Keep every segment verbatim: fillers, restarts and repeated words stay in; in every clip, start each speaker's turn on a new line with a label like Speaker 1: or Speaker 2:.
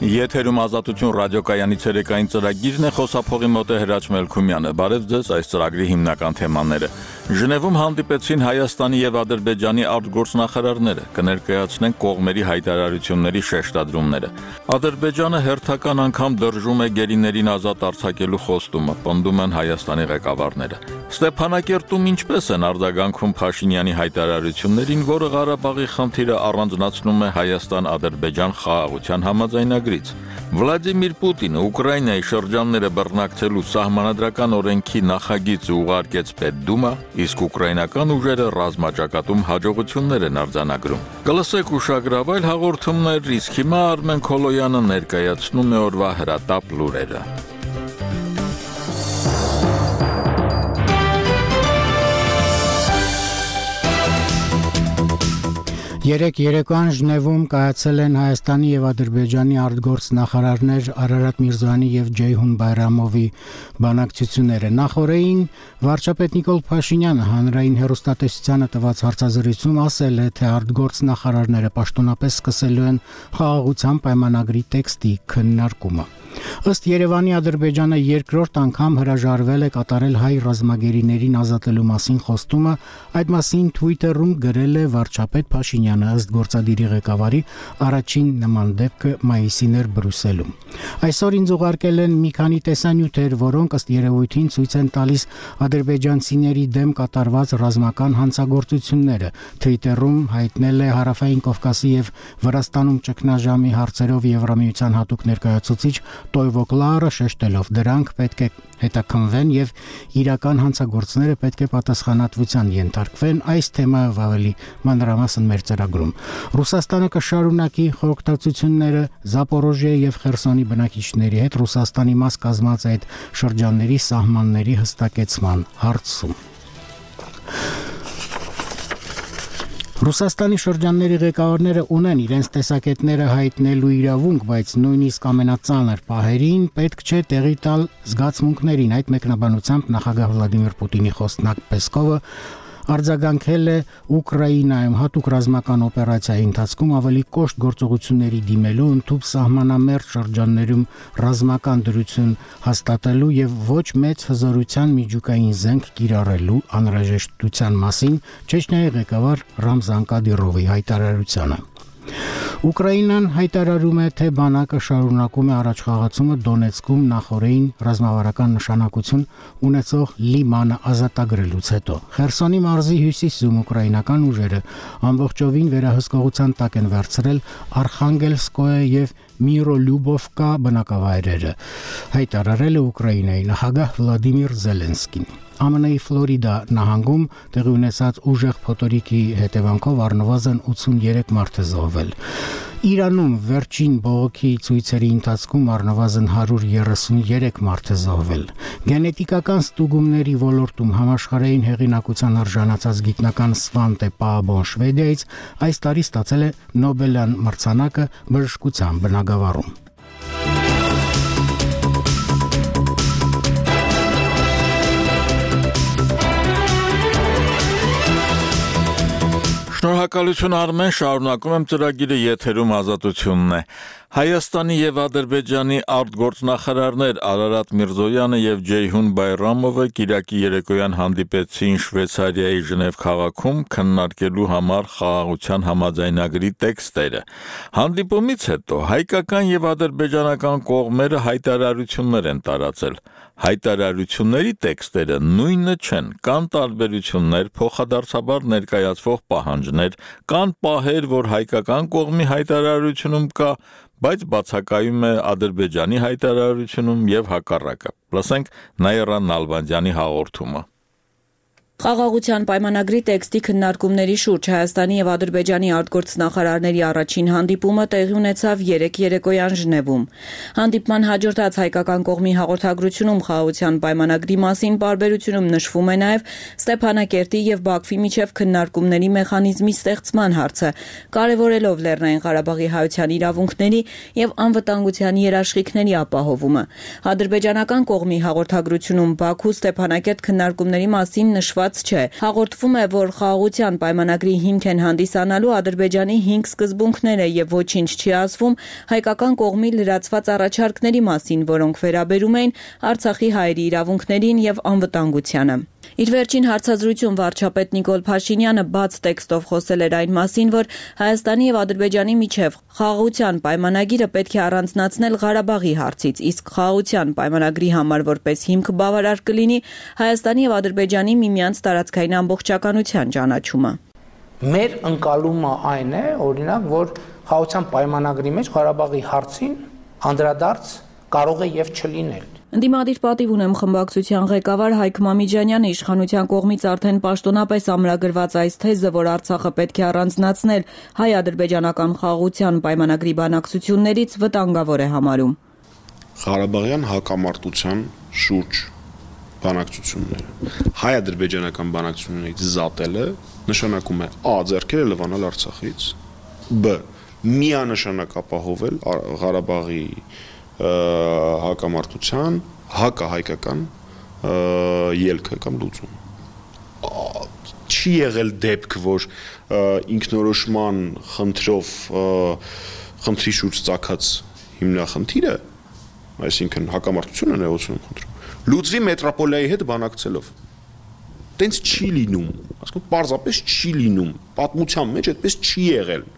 Speaker 1: Եթերում Ազատություն ռադիոկայանի ցերեկային ծրագիրն է, խոսափողի մոտ է Հրաչ Մելքումյանը։ Բարև ձեզ, այս ծրագրի հիմնական թեմաները։ Ժնևում հանդիպեցին Հայաստանի եւ Ադրբեջանի արտգործնախարարները, կներկայացնեն կողմերի հայտարարությունների շեշտադրումները։ Ադրբեջանը հերթական անգամ դրժում է գերիներին ազատ արձակելու խոստումը, պնդում են Հայաստանի ղեկավարները։ Ստեփանակերտում ինչպես են արձագանքում Փաշինյանի հայտարարություններին, որը Ղարաբաղի խնդիրը առանձնացնում է Հայաստան-Ադրբեջան խաղաղության համաձայնագրից։ Վլադիմիր Պուտինը Ուկրաինայի շրջանները բռնակցելու սահմանադրական օրենքի նախագիծը ուղարկեց Պետդումա, իսկ ուկրաինական ուժերը ռազմաճակատում հաջողություններ են արձանագրում։ Կլսեք ուշագրավ այլ հաղորդումներ, իսկ հիմա Արմեն Քոլոյանը ներկայացնում է օրվա հրատապ լուրերը։
Speaker 2: Երեք երեկոյան Ժնևում կայացել են Հայաստանի եւ Ադրբեջանի արտգործնախարարներ Արարատ Միրզոյանի եւ Ջեյհուն Բայրամովի բանակցությունները։ Նախորդին վարչապետ Նիկոլ Փաշինյանը հանրային հեռուստատեսությանը տված հարցազրույցում ասել է, թե արտգործնախարարները պաշտոնապես սկսելու են խաղաղության պայմանագրի տեքստի քննարկումը։ Ըստ Երևանի Ադրբեջանը երկրորդ անգամ հրաժարվել է կատարել հայ ռազմագերիներին ազատելու մասին խոստումը, այդ մասին Twitter-ում գրել է վարչապետ Փաշինյանը, ըստ գործադիրի ղեկավարի առաջին նման դեպքը մայիսին էր Բրյուսելում։ Այսօր ինձ ուղարկել են մի քանի տեսանյութեր, որոնք ըստ երևույթին ցույց են տալիս ադրբեջանցիների դեմ կատարված ռազմական հանցագործությունները, Twitter-ում հայտնել է Հարավային Կովկասի եւ Վրաստանում ճգնաժամի հարցերով Եվրամիության հատուկ ներկայացուցիչ Տոյվո Կլարը, շեշտելով դրանք պետք է հետաքննվեն եւ իրական հանցագործները պետք է պատասխանատվության ենթարկվեն, այս թեմայով ավելի մանրամասն մեր ծրագրում։ Ռուսաստանը կշարունակի խորհրդակցությունները Զապորոժիա եւ Խերսոնի բնակիչների հետ Ռուսաստանի մաս կազմած այդ շրջանների սահմանների հստակեցման հարցում։ Ռուսաստանի շրջանների ղեկավարները ունեն իրենց տեսակետները հայտնելու իրավունք, բայց նույնիսկ ամենածանր պահերին պետք չէ տեղի տալ զգացմունքներին։ Այդ մեկնաբանությամբ նախագահ Վլադիմիր Պուտինի խոսնակ Պեսկովը արձագանքել է Ուկրաինայում հատուկ ռազմական օպերացիայի ընթացքում ավելի կոշտ գործողությունների դիմելու, ընդհանուր սահմանամերձ շրջաններում ռազմական դրություն հաստատելու եւ ոչ մեծ հզորության միջուկային զենք կիրառելու անհրաժեշտության մասին Չեչնիայի ղեկավար Ռամզան Կադիրովի հայտարարությանը։ Ուկրաինան հայտարարում է, թե բանակը շարունակում է առաջխաղացումը Դոնեցկում նախորդին ռազմավարական նշանակություն ունեցող Լիմանը ազատագրելուց հետո։ Խերսոնի մարզի հյուսիսում ուկրաինական ուժերը ամբողջովին վերահսկողության տակ են վերցրել Արխանգելսկոյե եւ Միրոլյուբովկա բնակավայրերը, հայտարարել է Ուկրաինայի նախագահ Վլադիմիր Զելենսկին։ Ամենայի Ֆլորիդա նահանգում տեղի ունեցած ուժեղ փոթորիկի հետևանքով առնվազն ութսուններեք մարդ է զոհվել։ Իրանում վերջին բողոքի ցույցերի ընթացքում առնվազն հարյուր երեսուններեք մարդ է զոհվել։ Գենետիկական ստուգումների ոլորտում համաշխարհային հեղինակության արժանացած գիտնական Սվանտե Պաաբոն Շվեդիայից այս տարի ստացել է Նոբելյան մրցանակը բժշկության բնագավառում։
Speaker 1: Շնորհակալություն Արմեն, շարունակում եմ ծրագիրը, եթերում Ազատությունն է։ Հայաստանի եւ Ադրբեջանի արտգործնախարարներ Արարատ Միրզոյանը եւ Ջեյհուն Բայրամովը Կիրակի երեկոյան հանդիպեցին Շվեյցարիայի Ժնև քաղաքում քննարկելու համար խաղաղության համաձայնագրի տեքստերը։ Հանդիպումից հետո հայկական եւ ադրբեջանական կողմերը հայտարարություններ են տարածել։ Հայտարարությունների տեքստերը նույնը չեն, կան տարբերություններ, փոխադարձաբար ներկայացվող պահանջներ, կան պահեր, որ հայկական կողմի հայտարարությունում կա, բայց բացակայում է Ադրբեջանի հայտարարությունում եւ հակառակը։ Լսենք Նաիրա Նալբանդյանի հաղորդումը։
Speaker 3: Խաղաղության պայմանագրի տեքստի քննարկումների շուրջ Հայաստանի եւ Ադրբեջանի արտգործնախարարների առաջին հանդիպումը տեղի ունեցավ երեք երեկոյան Ժնևում։ Հանդիպման հաջորդած հայկական կողմի հաղորդագրությունում խաղաղության պայմանագրի մասին պարբերությունում նշվում է նաեւ Ստեփանակերտի եւ Բաքվի միջև քննարկումների մեխանիզմի ստեղծման հարցը, կարևորելով Լեռնային Ղարաբաղի հայության իրավունքների եւ անվտանգության երաշխիքների ապահովումը։ Ադրբեջանական կողմի հաղորդագրությունում Բաքու Ստեփանակերտ քննարկումների մասին նշված կատարված չէ։ Հաղորդվում է, որ խաղաղության պայմանագրի հիմք են հանդիսանալու Ադրբեջանի հինգ սկզբունքները եւ ոչինչ չի ասվում հայկական կողմի լրացված առաջարկների մասին, որոնք վերաբերում էին Արցախի հայերի իրավունքներին եւ անվտանգությանը։ Իր վերջին հարցազրույցում վարչապետ Նիկոլ Փաշինյանը բաց տեքստով խոսել էր այն մասին, որ Հայաստանի եւ Ադրբեջանի միջև խաղաղության պայմանագիրը պետք է առանձնացնել Ղարաբաղի հարցից, իսկ խաղաղության պայմանագրի համար որպես հիմք բավարար կլինի Հայաստանի եւ Ադրբեջանի միմյանց տարածքային ամբողջականության ճանաչումը։
Speaker 4: Մեր ընկալումը այն է, օրինակ, որ խաղաղության պայմանագրի մեջ Ղարաբաղի հարցին անդրադարձ կարող է եւ չլինել։
Speaker 3: Ընդդիմադիր պատիվ ունեմ խմբակցության ղեկավար Հայկ Մամիջանյանը իշխանության կողմից արդեն պաշտոնապես ամրագրված այս թեզը, որ Արցախը պետք է առանձնացնել հայ-ադրբեջանական խաղաղության պայմանագրի բանակցություններից վտանգավոր է համարում։
Speaker 5: Ղարաբաղյան հակամարտության շուրջ բանակցությունները հայ-ադրբեջանական բանակցություններից զատելը նշանակում է ա. ձեռքերը լվանալ Արցախից, բ. միանշանակ ապահովել Ղարաբաղի հակամարտության հակահայկական ելքը կամ լուծում։ Չի եղել դեպք, որ ինքնորոշման խնդրով խնդրի շուրջ ծագած հիմնախնդիրը, այսինքն հակամարտությունը ներողություն խնդրում, լուծվի մետրոպոլիայի հետ բանակցելով։ Տենց չի լինում, ասում պարզապես չի լինում, պատմության մեջ այդպես չի եղել։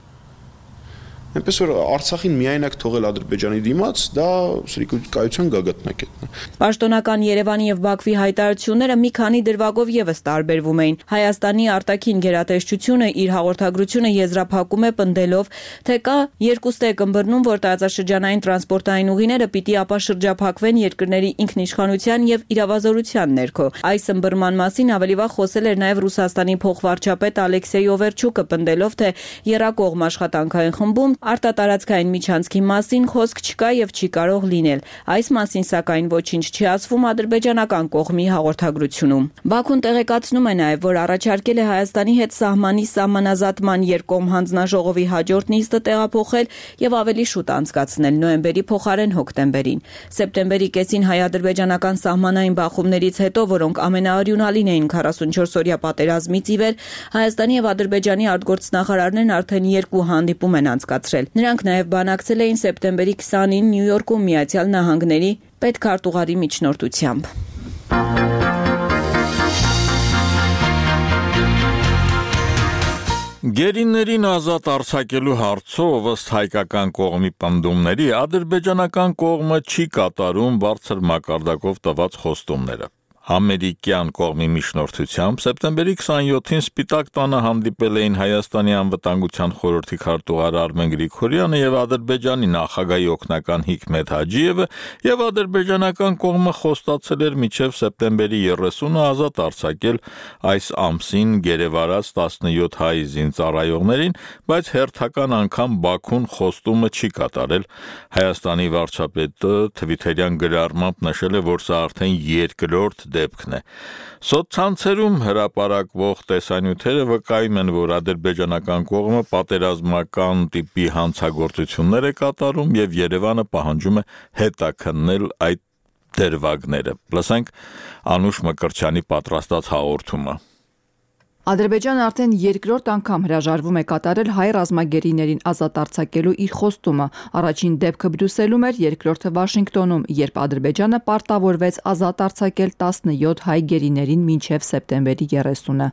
Speaker 5: Այնպես որ Արցախին միայնակ թողել Ադրբեջանի դիմաց, դա սրիկայության գագաթնակետն է։
Speaker 3: Պաշտոնական Երևանի եւ Բաքվի հայտարարությունները մի քանի դրվագով եւս տարբերվում էին։ Հայաստանի արտաքին գերատեսչությունը իր հաղորդագրությունը եզրափակում է պնդելով, թե կա երկուստ է ըմբռնում, որ տարածաշրջանային տրանսպորտային ուղիները պիտի ապաշրջափակվեն երկրների ինքնիշխանության եւ իրավազորության ներքո։ Այս ըմբռնման մասին ավելի վաղ խոսել էր նաեւ Ռուսաստանի փոխվարչապետ Ալեքսեյ Օվերչուկը, պնդելով, թե եռակողմ աշխատանքային խմբում արտատարածքային միջանցքի մասին խոսք չկա եւ չի կարող լինել։ Այս մասին սակայն ոչինչ չի ասվում ադրբեջանական կողմի հաղորդագրությունում։ Բաքուն տեղեկացնում է նաեւ, որ առաջարկել է Հայաստանի հետ սահմանի սահմանազատման երկկողմ հանձնաժողովի հաջորդ նիստը տեղափոխել եւ ավելի շուտ անցկացնել նոյեմբերի փոխարեն հոկտեմբերին։ Սեպտեմբերի կեսին հայ-ադրբեջանական սահմանային բախումներից հետո, որոնք ամենաարյունալին էին քառասունչորս-օրյա պատերազմից ի վեր, Հայաստանի եւ Ադրբեջանի արտգործնախարարներն արդեն երկու հանդիպում են անցկացրել։ Նրանք նաև բանակցել էին սեպտեմբերի քսանին Նյու Յորքում Միացյալ Նահանգների պետքարտուղարի միջնորդությամբ։
Speaker 1: Գերիներին ազատ արձակելու հարցով ըստ հայկական կողմի պնդումների ադրբեջանական կողմը չի կատարում բարձր մակարդակով տված խոստումները։ Ամերիկյան կողմի միջնորդությամբ սեպտեմբերի քսանյոթին Սպիտակ տանը հանդիպել էին Հայաստանի անվտանգության խորհրդի քարտուղար Արմեն Գրիգորյանը եւ Ադրբեջանի նախագահի օգնական Հիկմետ Հաջիևը, եւ ադրբեջանական կողմը խոստացել էր մինչեւ սեպտեմբերի երեսունը ազատ արձակել այս ամսին գերեվարած տասնյոթ հայ զինծառայողներին, բայց հերթական անգամ Բաքուն խոստումը չի կատարել։ Հայաստանի վարչապետը Թվիտերյան գրառմամբ նշել է, որ սա արդեն երկրորդ դեպքն է։ Սոցցանցերում հրապարակվող տեսանյութերը վկայում են, որ ադրբեջանական կողմը պատերազմական տիպի հանցագործություններ է կատարում եւ Երևանը պահանջում է հետաքննել այդ դրվագները։ Լսենք Անուշ Մկրտչյանի պատրաստած հաղորդումը։
Speaker 6: Ադրբեջանը արդեն երկրորդ անգամ հրաժարվում է կատարել հայ ռազմագերիներին ազատ արձակելու իր խոստումը։ Առաջին դեպքը Բրյուսելում էր, երկրորդը Վաշինգտոնում, երբ Ադրբեջանը պարտավորվեց ազատ արձակել տասնյոթ հայ գերիներին մինչև սեպտեմբերի երեսունը։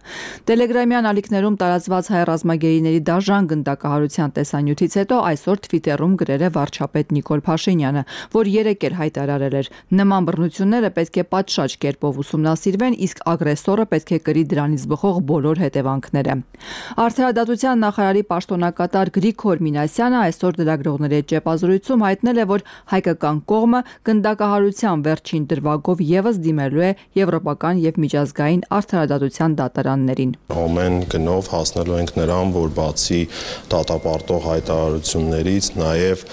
Speaker 6: Տելեգրամյան ալիքներում տարածված հայ ռազմագերիների դաժան գնդակահարության տեսանյութից հետո այսօր Թվիտերում գրել է վարչապետ Նիկոլ Փաշինյանը, որ երեկ էլ հայտարարել էր. նման բռնությունները պետք է պատշաճ կերպով ուսումնասիրվեն, իսկ ագրեսորը պետք է կրի դրանից բխող բոլոր հետևանքները։ Արդարադատության նախարարի պաշտոնակատար Գրիգոր Մինասյանը այսօր լրագրողների հետ ճեպազրույցում հայտնել է, որ հայկական կողմը գնդակահարության վերջին դրվագով եւս դիմելու է եվրոպական եւ միջազգային արդարադատության դատարաններին։
Speaker 7: Ամեն գնով հասնելու ենք նրան, որ բացի դատապարտող հայտարարություններից նաեւ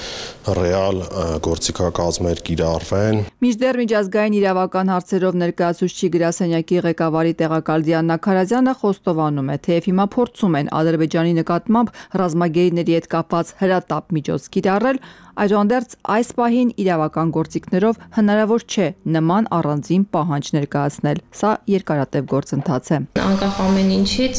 Speaker 7: ռեալ գործիքակազմեր կիրառվեն։
Speaker 6: Մինչդեռ միջազգային իրավական հարցերով ներկայացուցիչ գրասենյակի ղեկավարի տեղակալ Դիանա Քարազյանը խոստովանում է, թեև հիմա փորձում են Ադրբեջանի նկատմամբ ռազմագերիների հետ կապված հրատապ միջոց կիրառել, այդուհանդերձ այս պահին իրավական գործիքներով հնարավոր չէ նման առանձին պահանջ ներկայացնել։ Սա երկարատև գործընթաց է։
Speaker 8: Անկախ ամեն ինչից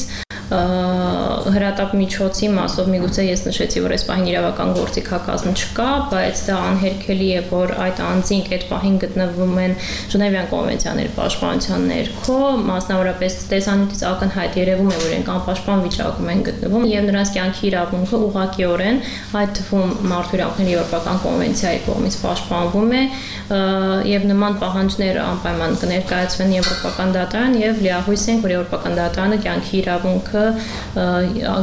Speaker 8: հրատապ միջոցի մասով միգուցե ես նշեցի, որ այս պահին իրավական գործիքակազմ չկա, բայց դա անհերքելի է, որ այդ անձինք այդ պահին գտնվում են Ժնևյան կոնվենցիաների պաշտպանության ներքո, մասնավորապես տեսանյութից ակնհայտ երևում է, որ իրենք անպաշտպան վիճակում են գտնվում, եւ նրանց կյանքի իրավունքը ուղղակիորեն, այդ թվում մարդու իրավունքների եվրոպական կոնվենցիայի կողմից պաշտպանվում է, եւ նման պահանջներ անպայման կներկայացվեն եվրոպական դատարան եւ լիահույս ենք, որ եվրոպական դատարանը կյանքի իրավունքը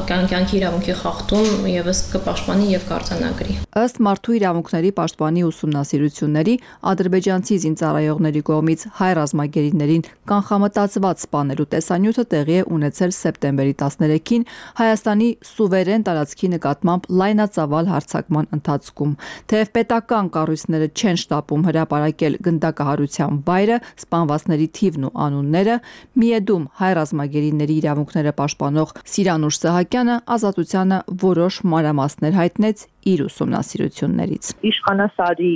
Speaker 8: կյանքի իրավունքի խախտում եւս կպաշտպանի եւ կարձանագրի։
Speaker 6: Ըստ մարդու իրավունքների պաշտպանի ուսումնասիրությունների, ադրբեջանցի զինծառայողների կողմից հայ ռազմագերիներին կանխամտածված սպանելու տեսանյութը տեղի է ունեցել սեպտեմբերի տասներեքին Հայաստանի սուվերեն տարածքի նկատմամբ լայնածավալ հարձակման ընթացքում։ Թեև պետական կառույցները չեն շտապում հրապարակել գնդակահարության վայրը, սպանվածների թիվն ու անունները, Միեդում հայ ռազմագերիների իրավունքները պաշտպանող Սիրանուշ Սահակյանը Ազատությանը որոշ մանրամասներ հայտնեց իր ուսումնասիրություններից։
Speaker 9: Իշխանասարի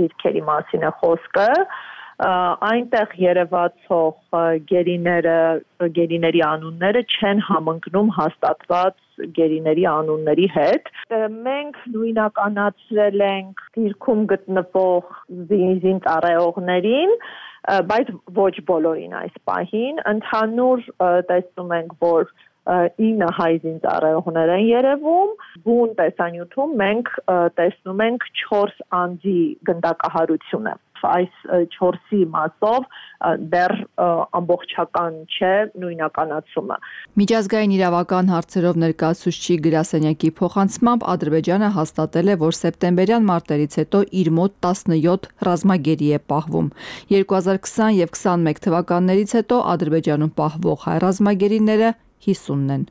Speaker 9: դիրքերի մասին է խոսքը, այնտեղ երևացող գերիները, գերիների անունները չեն համընկնում հաստատված գերիների անունների հետ։ Մենք նույնականացրել ենք դիրքում գտնվող զինծառայողներին, բայց ոչ բոլորին այս պահին, ընդհանուր տեսնում ենք, որ ինը հայ զինծառայողներ են երևում, բուն տեսանյութում մենք տեսնում ենք չորս անձի գնդակահարությունը։ Այս չորսի մասով դեռ ամբողջական չէ նույնականացումը։
Speaker 6: Միջազգային իրավական հարցերով ներկայացուցիչ գրասենյակի փոխանցմամբ Ադրբեջանը հաստատել է, որ սեպտեմբերյան մարտերից հետո իր մոտ տասնյոթ ռազմագերի է պահվում։ երկու հազար քսան եւ քսանմեկ թվականներից հետո Ադրբեջանում պահվող հայ ռազմագերիները հիսունն են։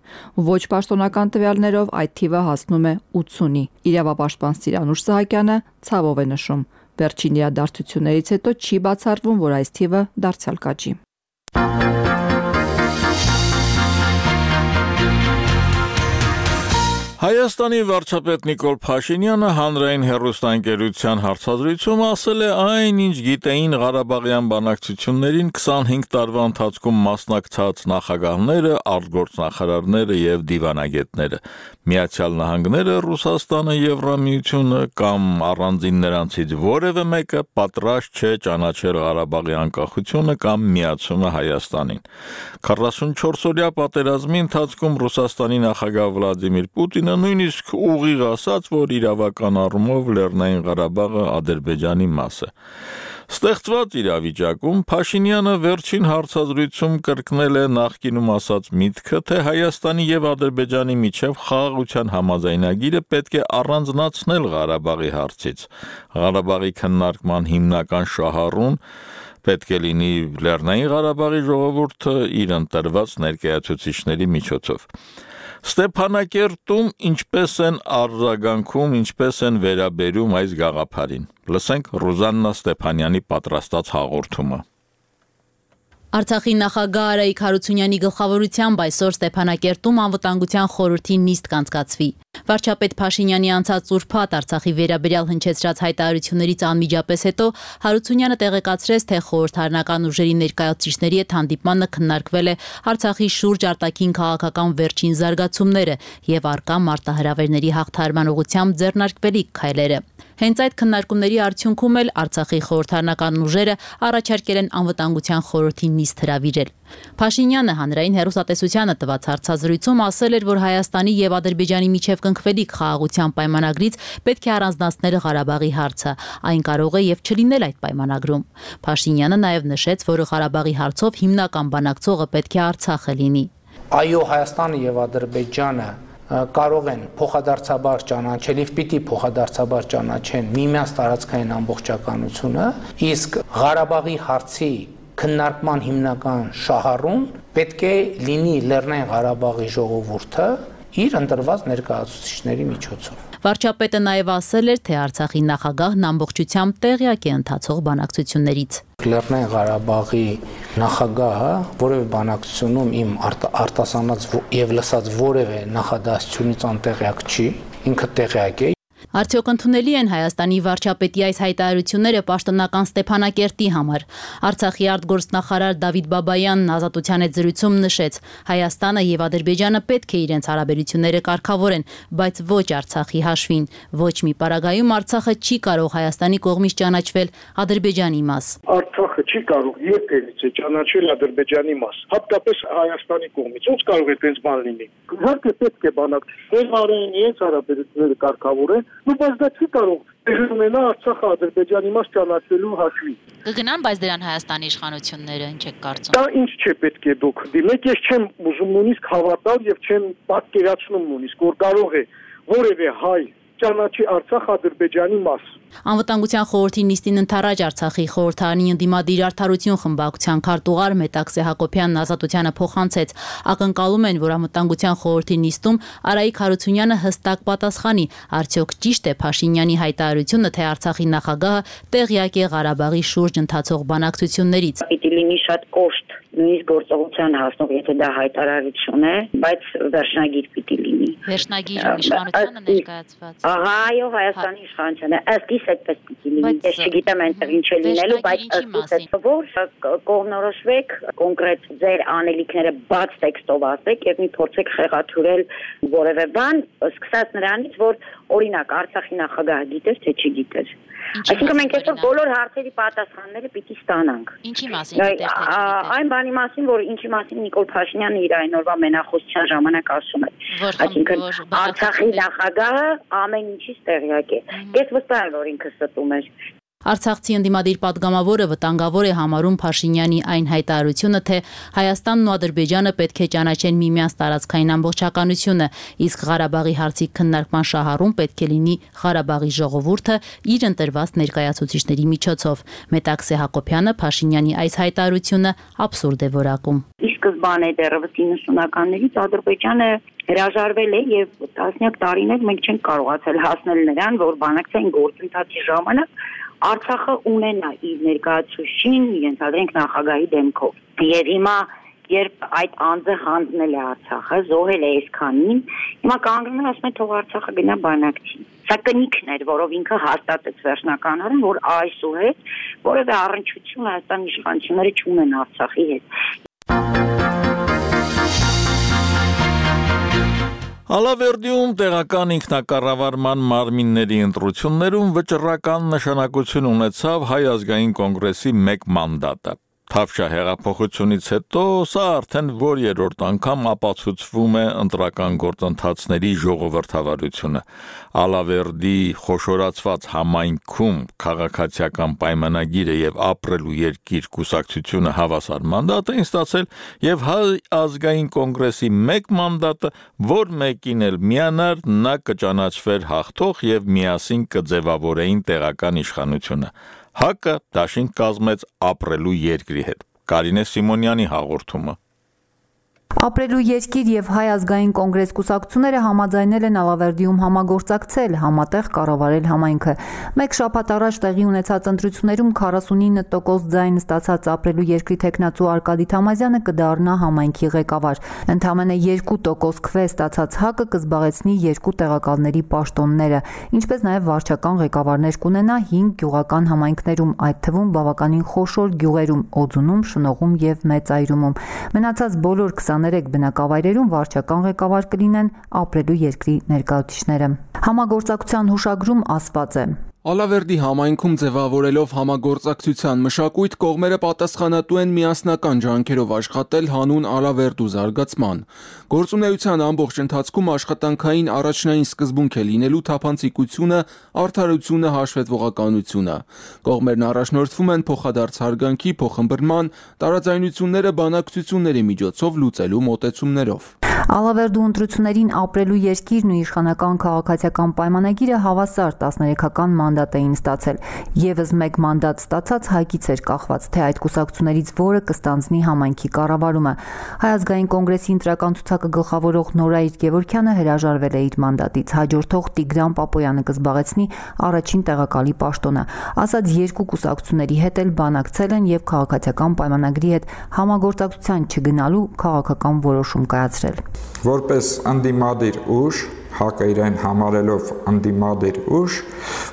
Speaker 6: Ոչ պաշտոնական տվյալներով այդ թիվը հասնում է ութսունի։ Իրավապաշտպան Սիրանուշ Սահակյանը ցավով է նշում, վերջին իրադարձություններից հետո չի բացառվում, որ այս թիվը դարձյալ կաճի։
Speaker 1: Հայաստանի վարչապետ Նիկոլ Փաշինյանը հանրային հեռուստաընկերության հարցազրույցում ասել է այն, ինչ գիտեին Ղարաբաղյան բանակցություններին քսանհինգ տարվա ընթացքում մասնակցած նախագահները, արտգործնախարարները եւ դիվանագետները։ Միացյալ Նահանգները, Ռուսաստանը, Եվրամիությունը կամ առանձին նրանցից որևէ մեկը պատրաստ չէ ճանաչել Ղարաբաղի անկախությունը կամ միացումը Հայաստանին։ քառասունչորս-օրյա պատերազմի ընթացքում Ռուսաստանի նախագահ Վլադիմիր Պուտինը նույնիսկ ուղիղ ասաց, որ իրավական առումով Լեռնային Ղարաբաղը Ադրբեջանի մաս է։ Ստեղծված իրավիճակում Փաշինյանը վերջին հարցազրույցում կրկնել է նախկինում ասած միտքը, թե Հայաստանի եւ Ադրբեջանի միջև խաղաղության համաձայնագիրը պետք է առանձնացնել Ղարաբաղի հարցից։ Ղարաբաղի քննարկման հիմնական շահառուն պետք է լինի Լեռնային Ղարաբաղի ժողովուրդը իր ընտրված ներկայացուցիչների միջոցով։ Ստեփանակերտում ինչպես են արձագանքում, ինչպես են վերաբերում այս գաղափարին։ Լսենք Ռուզաննա Ստեփանյանի պատրաստած հաղորդումը։
Speaker 10: Արցախի նախագահ Արայիկ Հարությունյանի գլխավորությամբ այսօր Ստեփանակերտում անվտանգության խորհրդի նիստ կանցկացվի։ Վարչապետ Փաշինյանի անցած ուրբաթ Արցախի վերաբերյալ հնչեցրած հայտարարություններից անմիջապես հետո Հարությունյանը տեղեկացրեց, թե խորհրդարանական ուժերի ներկայացուցիչների հետ հանդիպմանը քննարկվել է Արցախի շուրջ արտաքին քաղաքական վերջին զարգացումները եւ առկա մարտահրավերների հաղթահարման ուղղությամբ ձեռնարկվելիք քայլերը։ Հենց այդ քննարկումների արդյունքում էլ Արցախի խորհրդարանական ուժերը առաջարկել են անվտանգության խորհրդի նիստ հրավիրել։ Փաշինյանը հանրային հեռուստատեսությանը տված հարցազրույցում ասել էր, որ Հայաստանի եւ Ադրբեջանի միջև կնքվելիք խաղաղության պայմանագրից պետք է առանձնացնել Ղարաբաղի հարցը։ Այն կարող է եւ չլինել այդ պայմանագրում։ Փաշինյանը նաեւ նշեց, որ Ղարաբաղի հարցով հիմնական բանակցողը պետք է Արցախը լինի։
Speaker 4: Այո, Հայաստանը եւ Ադրբեջանը կարող են փոխադարձաբար ճանաչել եւ պիտի փոխադարձաբար ճանաչեն միմյանց տարածքային ամբողջականությունը, իսկ Ղարաբաղի հարցի քննարկման հիմնական շահառուն պետք է լինի Լեռնային Ղարաբաղի ժողովուրդը իր ընտրված ներկայացուցիչների միջոցով։
Speaker 10: Վարչապետը նաև ասել էր, թե Արցախի նախագահն ամբողջությամբ տեղյակ է ընթացող բանակցություններից։
Speaker 4: Լեռնային Ղարաբաղի նախագահը որևէ բանակցությունում իմ արտասանած եւ լսած որևէ նախադասությունից անտեղյակ չի, ինքը տեղյակ է։
Speaker 10: Արդյոք ընդունելի են Հայաստանի վարչապետի այս հայտարարությունները պաշտոնական Ստեփանակերտի համար։ Արցախի արտգործնախարար Դավիթ Բաբայանն Ազատության հետ զրույցում նշեց. Հայաստանը եւ Ադրբեջանը պետք է իրենց հարաբերությունները կարգավորեն, բայց ոչ Արցախի հաշվին։ Ոչ մի պարագայում Արցախը չի կարող Հայաստանի կողմից ճանաչվել Ադրբեջանի մաս։
Speaker 11: Արցախը չի կարող երբևիցե ճանաչել Ադրբեջանի մաս, հատկապես Հայաստանի կողմից։ Ոնց կարող է այդպես բան լինի։ Իհարկե պետք է բանակցել արեն իրենց հարաբերությունները կարգավորեն, բայց դա չի կարող տեղի ունենա Արցախը Ադրբեջանի մաս ճանաչելու հաշվին։
Speaker 10: Կգնան, բայց դրան Հայաստանի իշխանությունները ինչ եք կարծում։
Speaker 11: Դա ինչ չէ պետք է դուք դիմեք, ես չեմ ուզում նույնիսկ հավատալ եւ չեմ պատկերացնում նույնիսկ, որ կարող է որևէ հայ ճանաչի Արցախ Ադրբեջանի մաս։
Speaker 10: Անվտանգության խորհրդի նիստին ընթരാճ Արցախի խորհրդարանի ընդդիմադիր արդարություն խմբակցության քարտուղար Մետաքսե Հակոբյանն Ազատությանը փոխանցեց։ Ակնկալում են, որ անվտանգության խորհրդի նիստում Արայիկ Հարությունյանը հստակ պատասխանի, արդյոք ճիշտ է Փաշինյանի հայտարարությունը, թե Արցախի նախագահը տեղյակ է Ղարաբաղի շուրջ ընթացող բանակցություններից։
Speaker 12: Պիտի լինի շատ կոշտ, նույնիսկ գործողության հասնող, եթե դա հայտարարություն է, բայց վերջնագիր պիտի լինի։
Speaker 10: Վերջնագիր իշխանությանը ներկայացված։
Speaker 12: Ահա, այո, Հայաստանի իշխանությունը ըստ իս այդպես պիտի լինի։ Ես չգիտեմ այնտեղ ինչ է լինելու, բայց ըստ իս որ կողմնորոշվեք կոնկրետ ձեր անելիքները բաց տեքստով ասեք եւ մի փորձեք խեղաթյուրել որևէ բան, սկսած նրանից, որ օրինակ Արցախի նախագահը գիտեր թե չգիտեր։ Այսինքն մենք այսօր բոլոր հարցերի պատասխանները պիտի ստանանք։
Speaker 10: Ինչի մասին գիտեր թե չգիտեր։
Speaker 12: Այն բանի մասին, որ ինչի մասին Նիկոլ Փաշինյանը իր այն օրվա մենախոսության ժամանակ ասում է։ Այսինքն Արցախի նախագահը ամեն ինչից տեղյակ է։ Ես վստահ եմ, որ ինքը ստում էր։
Speaker 10: Արցախցի ընդդիմադիր պատգամավորը վտանգավոր է համարում Փաշինյանի այն հայտարարությունը, թե Հայաստանն ու Ադրբեջանը պետք է ճանաչեն միմյանց տարածքային ամբողջականությունը, իսկ Ղարաբաղի հարցի քննարկման շահառուն պետք է լինի Ղարաբաղի ժողովուրդը իր ընտրված ներկայացուցիչների միջոցով։ Մետաքսե Հակոբյանը Փաշինյանի այս հայտարարությունը աբսուրդ է որակում։
Speaker 12: Ի սկզբանե դեռևս իննսունականներից Ադրբեջանը հրաժարվել է եւ տասնյակ տարիներ մենք չենք կարողացել հասնել նրան, որ բանակցային գործընթացի ժամանակ Արցախը ունենա իր ներկայացուցիչին, իրենց αδրենք նախագահի դեմքով։ Եվ հիմա երբ այդ անձը հանձնել է Արցախը, զոհել է այսքանին, հիմա կանգնում է ասում է թող Արցախը գնա բանակցի։ Սա կնիքն էր, որով ինքը հաստատեց վերջնականորեն, որ այսուհետ որևէ առնչություն Հայաստանի իշխանությունները չունեն Արցախի հետ։
Speaker 1: Ալավերդիում տեղական ինքնակառավարման մարմինների ընտրություններում վճռական նշանակություն ունեցավ Հայ ազգային կոնգրեսի մեկ մանդատը։ Թավշյա հեղափոխությունից հետո սա արդեն որ երրորդ անգամ ապացուցվում է ընտրական գործընթացների ժողովրդավարությունը։ Ալավերդի խոշորացված համայնքում քաղաքացիական պայմանագիրը եւ ապրելու երկիր կուսակցությունը հավասար մանդատ էին ստացել եւ Հայ ազգային կոնգրեսի մեկ մանդատը, որ մեկին էլ միանար, նա կճանաչվեր հաղթող եւ միասին կձևավորեին տեղական իշխանությունը։ Հակը դաշինք կազմեց ապրելու երկրի հետ։ Կարինե Սիմոնյանի հաղորդումը։
Speaker 6: Ապրելու երկիր եւ Հայ ազգային կոնգրես կուսակցությունները համաձայնել են Ալավերդիում համագործակցել, համատեղ կառավարել համայնքը։ Մեկ շաբաթ առաջ տեղի ունեցած ընտրություններում քառասունինը տոկոս ձայն ստացած ապրելու երկրի տեխնացու Արկադի Թամազյանը կդառնա համայնքի ղեկավար։ Ընդամենը երկու տոկոս քվե ստացած Հակը կզբաղեցնի երկու տեղակալների պաշտոնները, ինչպես նաեւ վարչական ղեկավարներ կունենա հինգ գյուղական համայնքներում, այդ թվում բավականին խոշոր գյուղերում՝ Օձունում, Շնողում եւ Մեծայրումում։ Մնացած բոլոր քսաներեք բնակավայրերում վարչական ղեկավար կլինեն ապրելու երկրի ներկայացուցիչները։ Համագործակցության հուշագրում ասված է.
Speaker 13: Ալավերդի համայնքում ձևավորելով համագործակցության մշակույթ կողմերը պատասխանատու են միասնական ջանքերով աշխատել հանուն Ալավերդու զարգացման։ Գործունեության ամբողջ ընթացքում աշխատանքային առաջնային սկզբունք է լինելու թափանցիկությունը, արդարությունը, հաշվետվողականությունը։ Կողմերն առաջնորդվում են փոխադարձ հարգանքի, փոխըմբռնման, տարաձայնությունները բանակցությունների միջոցով լուծելու մոտեցումներով։
Speaker 6: Ալավերդու ընտրություններին ապրելու երկիրն ու իշխանական քաղաքացիական պայմանագիրը հավասար տասներեքական մանդատ էին ստացել։ Եվս մեկ մանդատ ստացած Հայկից էր կախված, թե այդ կուսակցություններից որը կստանձնի համայնքի կառավարումը։ Հայ ազգային կոնգրեսի ընտրական ցուցակը գլխավորող Նորայր Գևորգյանը հրաժարվել է իր մանդատից, հաջորդող Տիգրան Պապոյանը կզբաղեցնի առաջին տեղակալի պաշտոնը։ Ասած երկու կուսակցությունների հետ էլ բանակցել են եւ քաղաքացիական պայմանագրի հետ համագործակցության չգնալու քաղաքական որոշում կայացրել։
Speaker 14: Որպես անդիմադիր ուժ ՀԱԿ-ը իրեն համարելով անդիմադիր ուժ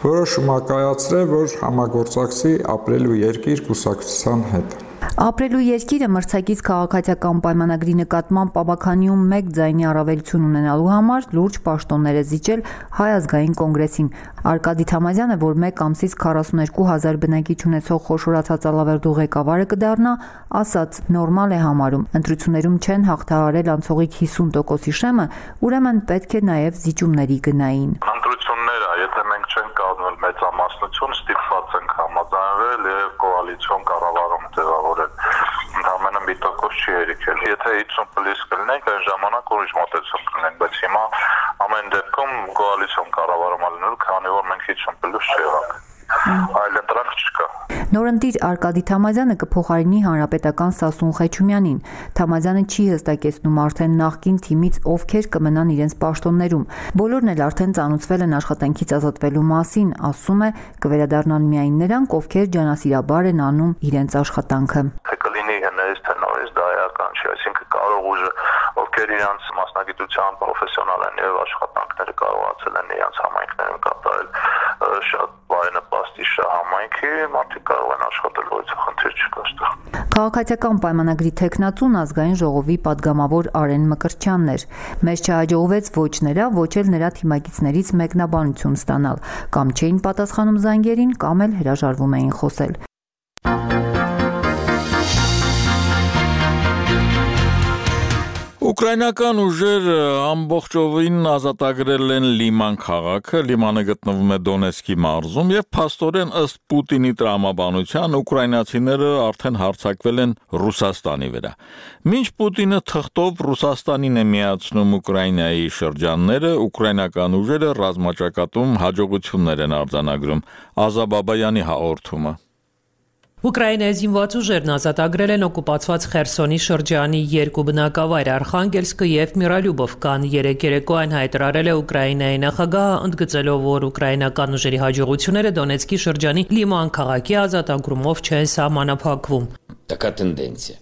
Speaker 14: որոշում կայացրել, որ համագործակցի ապրելու երկիր կուսակցության հետ։
Speaker 6: Ապրելու երկիրը մրցակից քաղաքացիական պայմանագրի նկատմամբ Պապաքանիում մեկ ձայնի առավելություն ունենալու համար լուրջ պաշտոններ է զիջել Հայ ազգային կոնգրեսին։ Արկադի Թամազյանը, որ մեկ ամսից քառասունեքու հազար բնակիչ ունեցող խոշորացած Ալավերդու ղեկավարը կդառնա, ասաց նորմալ է համարում։ Ընտրություններում չեն հաղթահարել անցողիկ հիսուն տոկոսի շեմը, ուրեմն պետք է նաև զիջումների գնային։
Speaker 15: Ընտրությունները, եթե մենք չենք կազմել մեծամասնություն, ստիպված ենք համաձայնվել եւ կոալիցիոն կառավարում ձևավորել։ Ընդամենը մի տոկոս չի հերիքել։ Եթե հիսուն պլյուս կլինենք, այն ժամանակ ուրիշ մոտեցում կլինենք, բայց հիմա ամեն դեպքում կոալիցիոն կառավարում ալնելու, քանի որ մենք հիսուն պլյուս չեղանք։ Այլ ընտրանք չկա։
Speaker 6: Նորընտիր Արկադի Թամազյանը կփոխարինի հանրապետական Սասուն Խեչումյանին։ Թամազյանը չի հստակեցնում արդեն նախկին թիմից ովքեր կմնան իրենց պաշտոններում։ Բոլորն էլ արդեն ծանոթվել են աշխատանքից ազատվելու մասին, ասում է, կվերադառնան միայն նրանք, ովքեր ջանասիրաբար են անում իրենց աշխատանքը։
Speaker 15: Թե կլինի հնարից թե նորից դա էական չի, այսինքն կարող ուժը, ովքեր իրենց մասնագիտության պրոֆեսիոնալ են եւ աշխատանքները կարողացել են իրենց համայնքներում կատարել, շատ բարենպաստ իշա համայնքի, մարդիկ կարող են աշխատել, ոչ խնդիր չկա այստեղ։
Speaker 6: Քաղաքացիական պայմանագրի թեկնածուն ազգային ժողովի падգամավոր Արեն Մկրտչյանն էր։ Մեզ չհաջողվեց ոչ նրա, ոչ էլ նրա թիմակիցներից մեկնաբանություն ստանալ, կամ չէին պատասխանում զանգերին, կամ էլ հրաժարվում էին խոսել։
Speaker 1: Ուկրաինական ուժերը ամբողջովին ազատագրել են Լիման քաղաքը, Լիմանը գտնվում է Դոնեցկի մարզում եւ փաստորեն ըստ Պուտինի տրամաբանության ուկրաինացիները արդեն հարձակվել են Ռուսաստանի վրա։ Մինչ Պուտինը թղթով Ռուսաստանին է միացնում Ուկրաինայի շրջանները, ուկրաինական ուժերը ռազմաճակատում հաջողություններ են արձանագրում։ Ազա Բաբայանի հաղորդումը։
Speaker 16: Ուկրաինայի զինված ուժերն ազատագրել են օկուպացված Խերսոնի շրջանի երկու բնակավայր Արխանգելսկը եւ Միրալյուբովկան։ Երեք երեկոյան հայտարարել է Ուկրաինայի նախագահը, ընդգծելով, որ ուկրաինական ուժերի հաջողությունները Դոնեցկի շրջանի Լիման քաղաքի ազատագրումով չեն սահմանափակվում։
Speaker 17: Така тенденція.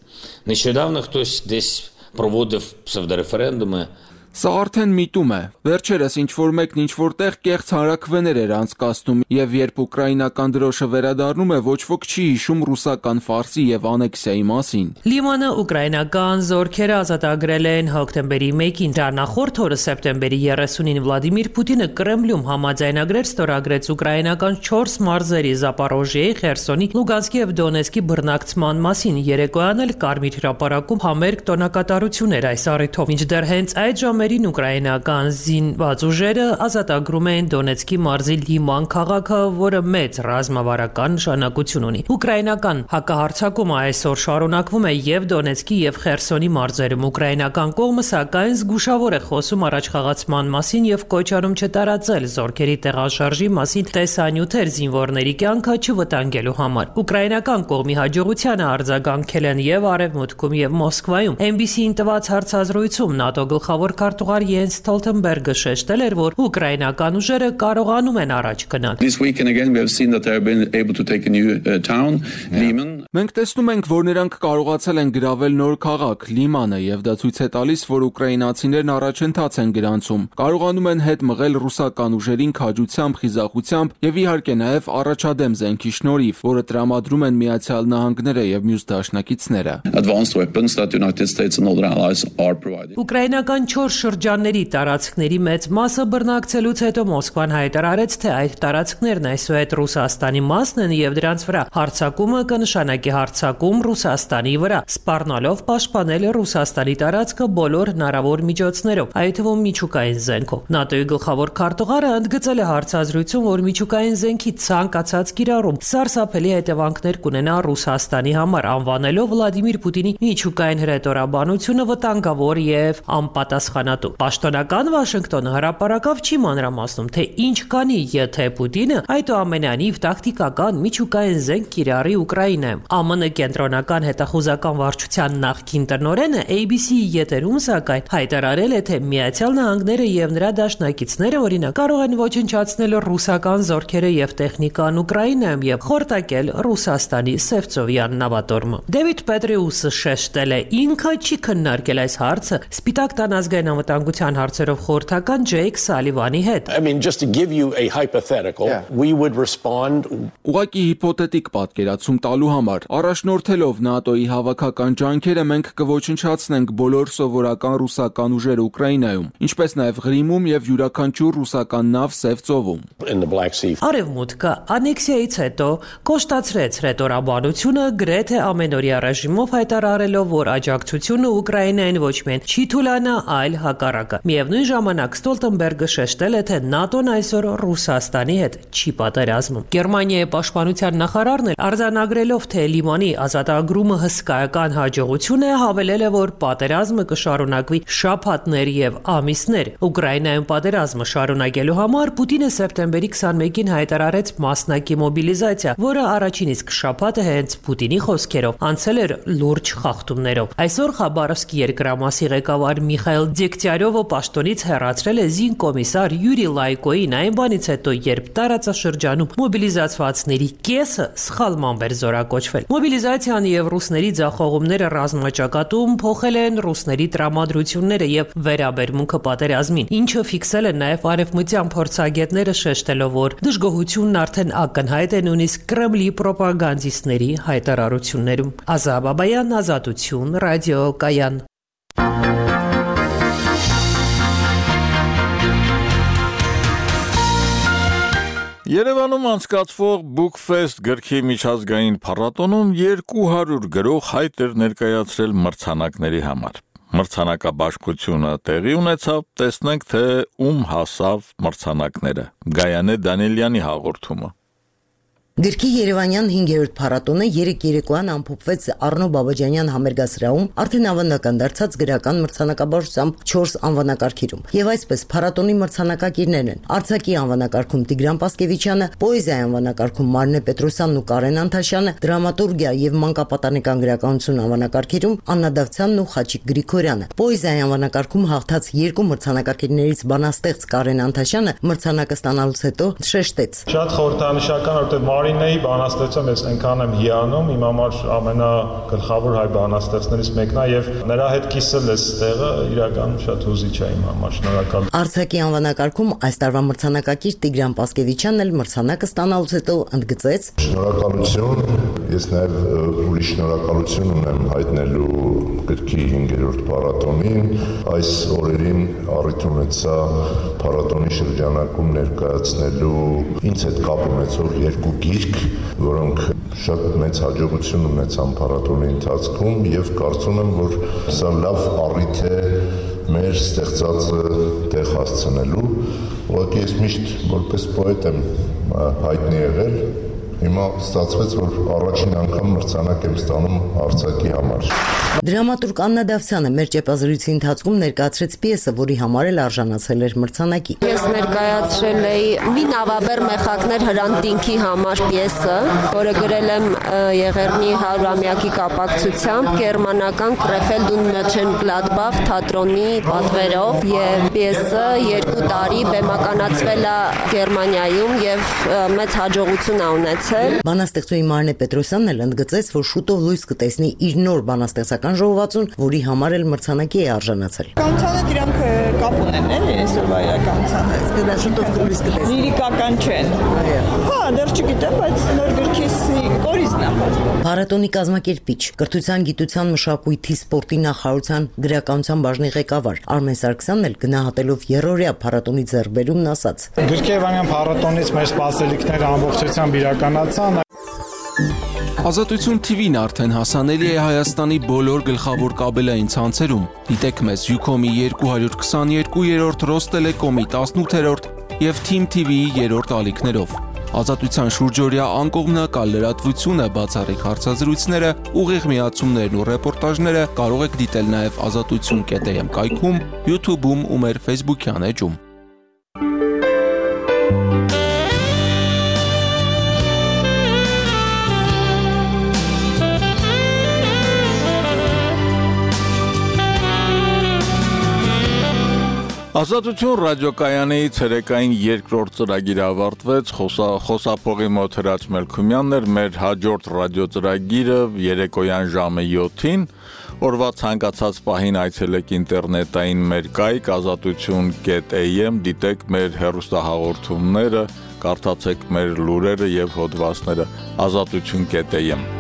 Speaker 17: Нещодавно хтось десь проводив псевдореферендуми.
Speaker 13: Սա արդեն միտում է։ Վերջերս ինչ-որ մեկն ինչ-որ տեղ կեղծ հանրաքվեներ էր անցկացնում, եւ երբ ուկրաինական դրոշը վերադառնում է, ոչ ոք չի հիշում ռուսական ֆարսի եւ անեքսիայի մասին։
Speaker 16: Լիմանը ուկրաինական զորքերը ազատագրել են հոկտեմբերի մեկին։ Դրա նախորդ օրը սեպտեմբերի երեսունին Վլադիմիր Պուտինը Կրեմլում համաձայնագրեր ստորագրեց ուկրաինական չորս մարզերի Զապարոժիեի, Խերսոնի, Լուգանսկի եւ Դոնեցկի բռնակցման մասին։ Երեկոյան էլ Կարմիր հրապարակում համերգ տոնակատարություններ այս առիթով։ Մինչդեռ հենց այդ ժամանակ ուկրաինական զինված ուժերը ազատագրում են Դոնեցկի մարզի Լիման քաղաքը, որը մեծ ռազմավարական նշանակություն ունի։ Ուկրաինական հակահարձակումը այսօր շարունակվում է եւ Դոնեցկի եւ Խերսոնի մարզերում։ Ուկրաինական կողմը սակայն զգուշավոր է խոսում առաջխաղացման մասին եւ կոչանում չտարածել զորքերի տեղաշարժի մասին տեսանյութեր զինվորների կյանքը չվտանգելու համար։ Ուկրաինական կողմի հաջողությանը արձագանքել են եւ Արևմուտքում եւ Մոսկվայում։ Էն բի սի-ին տված հարցազրույցում ՆԱՏՕ գլխավոր Քարտուղար Յենս Ստոլտենբերգը շեշտել էր, որ ուկրաինական ուժերը կարողանում են առաջ գնալ։
Speaker 13: Մենք տեսնում ենք, որ նրանք կարողացել են գրավել նոր քաղաք՝ Լիմանը, եւ դա ցույց է տալիս, որ ուկրաինացիներն առաջընթաց են գրանցում, կարողանում են հետ մղել ռուսական ուժերին քաջությամբ, խիզախությամբ եւ իհարկե նաեւ առաջադեմ զենքի շնորհիվ, որը տրամադրում են Միացյալ Նահանգները եւ մյուս դաշնակիցները։
Speaker 16: Ուկրաինական չորս շրջանների տարածքների մեծ մասը բռնակցելուց հետո Մոսկվան հայտարարեց, թե այդ տարածքներն այսուհետ Ռուսաստանի մասն են եւ դրանց վրա հարձակումը կնշանակի հարձակում Ռուսաստանի վրա, սպառնալով պաշտպանել Ռուսաստանի տարածքը բոլոր հնարավոր միջոցներով, այդ թվում միջուկային զենքով։ ՆԱՏՕ-ի գլխավոր քարտուղարը ընդգծել է հարցազրույցում, որ միջուկային զենքի ցանկացած կիրառում սարսափելի հետևանքներ կունենա Ռուսաստանի համար, անվանելով Վլադիմիր Պուտինի միջուկային հրետորաբանությունը վտանգավոր եւ անպատասխանատու պատասխանատու։ Պաշտոնական Վաշինգտոնը հրապարակավ չի մանրամասնում, թե ինչ կանի, եթե Պուտինը այդուամենայնիվ տակտիկական միջուկային զենք կիրառի Ուկրաինայում։ ԱՄՆ կենտրոնական հետախուզական վարչության նախկին տնօրենը A B C-ի եթերում սակայն հայտարարել է, թե Միացյալ Նահանգները եւ նրա դաշնակիցները օրինակ կարող են ոչնչացնել ռուսական զորքերը եւ տեխնիկան Ուկրաինայում եւ խորտակել Ռուսաստանի Սևծովյան նավատորմը։ Դեվիդ Պետրեուսը շեշտել է, ինքը չի քննարկել այս հարցը Սպիտակ տան ազգային անվտանգության հարցերով խորհրդական Ջեյք Սալիվանի հետ։
Speaker 18: I mean, just to give you a hypothetical, yeah. we would respond.
Speaker 13: Ուղղակի հիպոթետիկ պատկերացում տալու համար առաջնորդելով ՆԱՏՕ-ի հավաքական ջանքերը մենք կոչնչացնենք բոլոր սովորական ռուսական ուժերը Ուկրաինայում, ինչպես նաև Ղրիմում եւ յուրաքանչյուր ռուսական նավ Սևծովում։
Speaker 18: In the Black Sea.
Speaker 16: Արևմուտքը անեքսիայից հետո կոշտացրեց ռետորաբանությունը գրեթե ամենօրյա ռեժիմով հայտարարելով, որ աջակցությունը Ուկրաինային ոչ միայն չի թուլանա, այլ հակառակը։ Միևնույն ժամանակ Ստոլտենբերգը շեշտել է, թե ՆԱՏՕ-ն այսօր Ռուսաստանի հետ չի պատերազմում։ Գերմանիայի պաշտպանության նախարարն էլ արձանագրելով, թե Լիմանի ազատագրումը հսկայական հաջողություն է, հավելել է, որ պատերազմը կշարունակվի շաբաթներ եւ ամիսներ։ Ուկրաինայում պատերազմը շարունակելու համար Պուտինը սեպտեմբերի քսանմեկին հայտարարեց մասնակի մոբիլիզացիա, որը առաջին իսկ շաբաթը հենց Պուտինի խոսքերով անցել էր լուրջ խախտումներով։ Այսօր Խաբարովսկի երկրամասի ղեկավար Միխայել Դեգտյարովը պաշտոնից հեռացրել է զինկոմիսար Յուրի Լայկոին այն բանից հետո, երբ տարածաշրջանում մոբիլիզացվածների կեսը սխալմամբ էր զորակոչվել։ Մոբիլիզացիան եւ ռուսների ձախողումները ռազմաճակատում փոխել են ռուսների տրամադրությունները եւ վերաբերմունքը պատերազմին, ինչը ֆիքսել են նաեւ արևմտյան փորձագետները, շեշտելով, որ դժգոհությունն արդեն ակնհայտ է նույնիսկ Կրեմլի պրոպագանդիստների հայտարարություններում։ Ազատ Բաբայան, Ազատություն, ռադիո Կայան։
Speaker 1: Երևանում անցկացվող Bookfest գրքի միջազգային փառատոնում երկու հարյուր գրող հայտ էր ներկայացրել մրցանակների համար։ Մրցանակաբաշխությունը տեղի ունեցավ, տեսնենք, թե ում հասավ մրցանակները։ Գայանե Դանիելյանի հաղորդումը։
Speaker 19: Գրքի Երևանյան հինգերորդ փառատոնը երեք երեկոյան ամփոփվեց Առնո Բաբաջանյան համերգասրահում արդեն ավանդական դարձած գրական մրցանակաբաշխությամբ չորս անվանակարգերում։ Եվ այսպես փառատոնի մրցանակակիրներն են Արցակի անվանակարգում Տիգրան Պասկևիչյանը, պոեզիայի անվանակարգում Մարնե Պետրոսյանն ու Կարեն Անտաշյանը, դրամատուրգիա եւ մանկապատանեկան գրականություն անվանակարգերում Աննա Դավթյանն ու Խաչիկ Գրիգորյանը։ Պոեզիայի անվանակարգում հաղթած երկու մրցանակակիրներից բանաստեղծ Կարեն Անտաշյանը մրցանակը ստանալուց հետո շեշտեց.
Speaker 20: Շատ խորհրդանշական, որտեղ Մարինեի բանաստեղծում ես այնքան եմ հիանում, իմ համար ամենագլխավոր հայ բանաստեղծներից մեկն է եւ նրա հետ կիսել ես տեղը իրականում շատ հուզիչ է իմ համար, շնորհակալ։
Speaker 19: Արցակի անվանակարգում այս տարվա մրցանակակիր Տիգրան Պասկևիչյանն էլ մրցանակը ստանալուց հետո ընդգծեց.
Speaker 21: Շնորհակալություն, ես նաեւ ուրիշ շնորհակալություն ունեմ հայտնելու գրքի հինգերորդ փառատոնին, այս օրերին առիթ ունեցա փառատոնի շրջանակում ներկայացնելու ինձ հետ կապ ունեցող երկու գիրք, որոնք շատ մեծ հաջողություն ունեցան փառատոնի ընթացքում եւ կարծում եմ, որ սա լավ առիթ է մեր ստեղծածը տեղ հասցնելու։ Ուղղակի ես միշտ որպես պոետ եմ հայտնի եղել, հիմա ստացվեց, որ առաջին անգամ մրցանակ եմ ստանում Արցակի համար։
Speaker 19: Դրամատուրգ Աննա Դավթյանը մեր ճեպազրույցի ընթացքում ներկայացրեց պիեսը, որի համար էլ արժանացել էր մրցանակի։
Speaker 22: Ես ներկայացրել էի «Մի նավաբեր մեխակներ Հրանտինքի» համար պիեսը, որը գրել եմ Եղեռնի հարյուրամյակի կապակցությամբ գերմանական Krefeld und Mönchengladbach թատրոնի պատվերով, եւ պիեսը երկու տարի բեմականացվել է Գերմանիայում եւ մեծ հաջողություն է ունեցել։
Speaker 19: Բանաստեղծուհի Մարնե Պետրոսյանն էլ ընդգծեց, որ շուտով լույս կտեսնի իր նոր բանաստեղծական ժողովածուն, որի համար էլ մրցանակի է արժանացել։
Speaker 23: Կանցանը դրանք կապ ունեն, էլի, այսօրվա իրականությանը։
Speaker 19: Դա շուտով լույս կտեսնի։
Speaker 23: Լիրիկական չեն։ Հա, դեռ չգիտեմ, բայց նոր գրքիս կորիզն է։
Speaker 19: Փառատոնի կազմակերպիչ, կրթության, գիտության, մշակույթի, սպորտի նախարարության գրականության բաժնի ղեկավար Արմեն Սարգսյանն էլ գնահատելով երրորդյա փառատոնի ձեռքբերումն ասաց.
Speaker 24: Գրքի Երևանյան փառատոնից մեր սպասելիքները ամբողջությամբ իրականացան։
Speaker 13: Ազատություն T V-ն արդեն հասանելի է Հայաստանի բոլոր գլխավոր կաբելային ցանցերում։ Դիտեք մեզ Յուքոմի երկու հարյուր քսաներկու երրորդ, Ռոստելեկոմի տասնութերորդ եւ Թիմ T V-ի երրորդ ալիքներով։ Ազատության շուրջօրյա անկողմնակալ լրատվությունը, բացառիկ հարցազրույցները, ուղիղ միացումներն ու ռեպորտաժները կարող եք դիտել նաև ազատություն կետ էմ կայքում, YouTube-ում ու մեր Facebook-յան էջում։
Speaker 1: Ազատություն ռադիոկայանի ցերեկային երկրորդ ծրագիրը ավարտվեց, խոսափողի մոտ Հրաչ Մելքումյանն էր, մեր հաջորդ ռադիոծրագիրը երեկոյան ժամը յոթին, օրվա ցանկացած պահին այցելեք ինտերնետային մեր կայք ազատություն կետ էմ, դիտեք մեր հեռուստահաղորդումները, կարդացեք մեր լուրերը եւ հոդվածները ազատություն կետ էմ